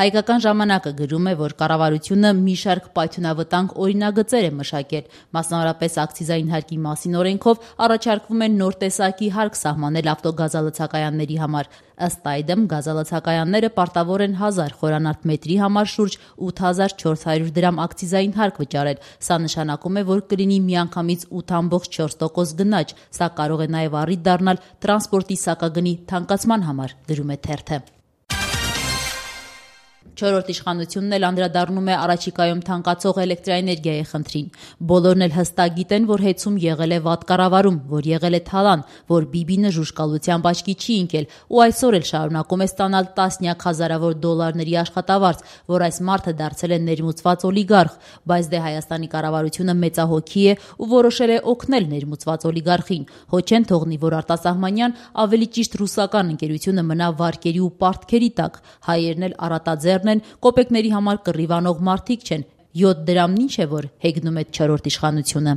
Հայկական ժամանակը գրում է, որ կառավարությունը մի շարք պայթյունավտանգ օրինագծեր է մշակել, մասնավորապես ակցիզային հարկի մասին օրենքով առաջարկվում է նոր տեսակի հարկ սահմանել ավտոգազալցակայանների համար։ Ըստ այդմ գազալցակայանները պարտավոր են 1000 խորանարդ մետրի համար շուրջ 8400 դրամ ակցիզային հարկ վճարել։ Սա նշանակում է, որ կլինի միանգամից 8.4% գնաճ։ Սա կարող է նաև առիթ դառնալ տրանսպորտի սակագնի թանկացման համար, գրում է թերթը։ Չորրորդ իշխանությունն էլ անդրադառնում է առաջիկայում թանկացող էլեկտրաէներգիայի խնդրին։ Բոլորն էլ հստակ գիտեն, որ հեծում եղել է վատ կառավարում, որ եղել է թալան, որ Բիբինը ժուժկալությամբ աչքի չի ընկել ու այսօր էլ շարունակում է ստանալ տասնյակ հազարավոր դոլարների աշխատավարձ, որ այս մարդը դարձել է ներմուծված օլիգարխ, բայց դե Հայաստանի կառավարությունը մեծահոգի է ու որոշել է օգնել ներմուծված օլիգարխին։ Հո չեն թողնի, որ արտասահմանյան, ավելի ճիշտ ռուսական ընկերությունը մնա վարկերի ու պարտքերի տակ։ Հայերն էլ առատաձեռն են, կոպեկների համար կռիվանող մարդիկ չեն։ 7 դրամն ինչ է, որ հեգնում է չորրորդ իշխանությունը։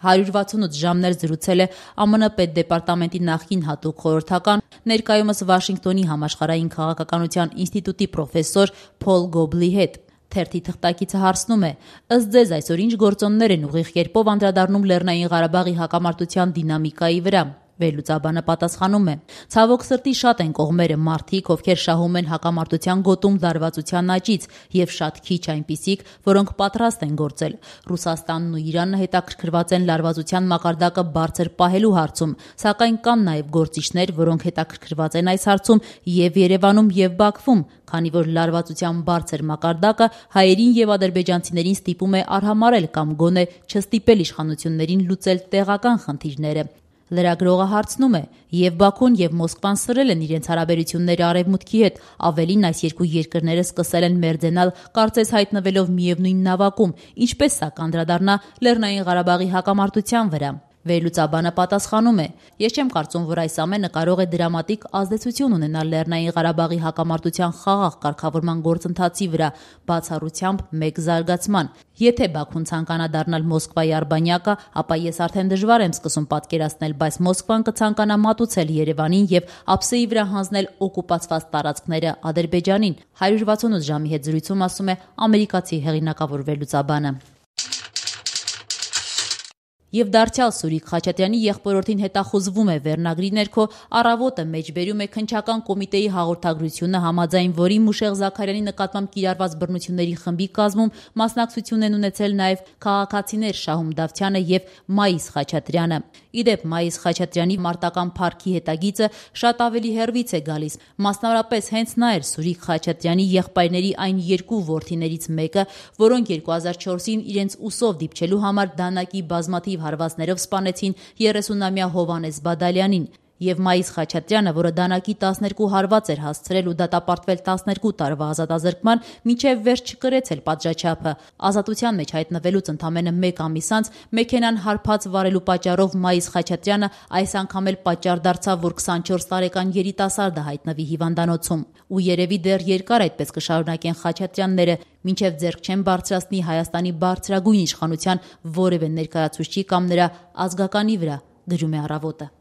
168 ժամներ զրուցել է ԱՄՆ պետդեպարտամենտի նախկին հատուկ խորհրդական, ներկայումս Վաշինգտոնի համաշխարհային քաղաքականության ինստիտուտի պրոֆեսոր Փոլ Գոբլի հետ։ Թերթի թղթակիցը հարցնում է. ըստ ձեզ այսօր ինչ գործոններ են ուղիղ կերպով անդրադառնում Լեռնային Ղարաբաղի հակամարտության դինամիկայի վրա։ Վերլուծաբանը պատասխանում է. ցավոք սրտի շատ են կողմերը մարդիկ, ովքեր շահում են հակամարտության գոտում լարվածության աճից եւ շատ քիչ այնպիսիք, որոնք պատրաստ են գործել։ Ռուսաստանն ու Իրանը հետաքրքրված են լարվածության մակարդակը բարձր պահելու հարցում, սակայն կան նաեւ գործիչներ, որոնք հետաքրքրված են այս հարցում եւ Երևանում եւ Բաքվում, քանի որ լարվածության բարձր մակարդակը հայերին եւ ադրբեջանցիներին ստիպում է արհամարել կամ գոնե չստիպել իշխանություններին լուծել տեղական խնդիրները։ Լրագրողը հարցնում է. եւ Բաքուն եւ Մոսկվան սրել են իրենց հարաբերությունները Արևմուտքի հետ, ավելին այս երկու երկրները սկսել են մերձենալ, կարծես հայտնվելով միևնույն նավակում, ինչպես սա կանդրադառնա Լեռնային Ղարաբաղի հակամարտության վրա։ Վերլուծաբանը պատասխանում է. ես չեմ կարծում, որ այս ամենը կարող է դրամատիկ ազդեցություն ունենալ Լեռնային Ղարաբաղի հակամարտության խաղաղ կարգավորման գործընթացի վրա, բացառությամբ մեկ զարգացման։ Եթե Բաքուն ցանկանա դառնալ Մոսկվայի արբանյակը, ապա ես արդեն դժվար եմ սկսում պատկերացնել, բայց Մոսկվան կցանկանա մատուցել Երևանին եւ ափսեի վրա հանձնել օկուպացված տարածքները Ադրբեջանին։ 168 ժամի հետ զրույցում ասում է ամերիկացի հեղինակավոր վերլուծաբանը։ Եվ դարձյալ Սուրիկ Խաչատրյանի եղբորորդին հետախուզվում է վերնագրի ներքո, Առավոտը մեջբերում է քննչական կոմիտեի հաղորդագրությունը, համաձայն որի Մուշեղ Զաքարյանի նկատմամբ կիրառված բռնությունների խմբի կազմում մասնակցություն են ունեցել նաև քաղաքացիներ Շահում Դավթյանը եւ Մայիս Խաչատրյանը։ Իդեպ Մայիս Խաչատրյանի մարտական փառքի հետագիծը շատ ավելի հեռվից է գալիս, մասնավորապես հենց նա էր Սուրիկ Խաչատրյանի եղբայրների այն երկու որդիներից մեկը, որոնք 2004-ին իրենց ուսով դիպչելու համար դանակի բազմաթիվ հարվածներով սպանեցին 30-ամյա Հովհաննես Բադալյանին, եւ Մայիս Խաչատրյանը, որը դանակի 12 հարված էր հասցրել ու դատապարտվել 12 տարվա ազատազրկման, մինչեւ վերջ չկրեց էլ պատժաչափը։ Ազատության մեջ հայտնվելուց ընդամենը 1 ամիս անց մեքենան հարբած վարելու պատճառով Մայիս Խաչատրյանը այս անգամ էլ պատճառ դարձավ, որ 24 տարեկան երիտասարդը հայտնվի հիվանդանոցում։ Ու երևի դեռ երկար այդպես կշարունակեն Խաչատրյանները, մինչև ձեռք չեն բարձրացնի Հայաստանի բարձրագույն իշխանության որևէ ներկայացուցչի կամ նրա ազգականի վրա, գրում է Առավոտը։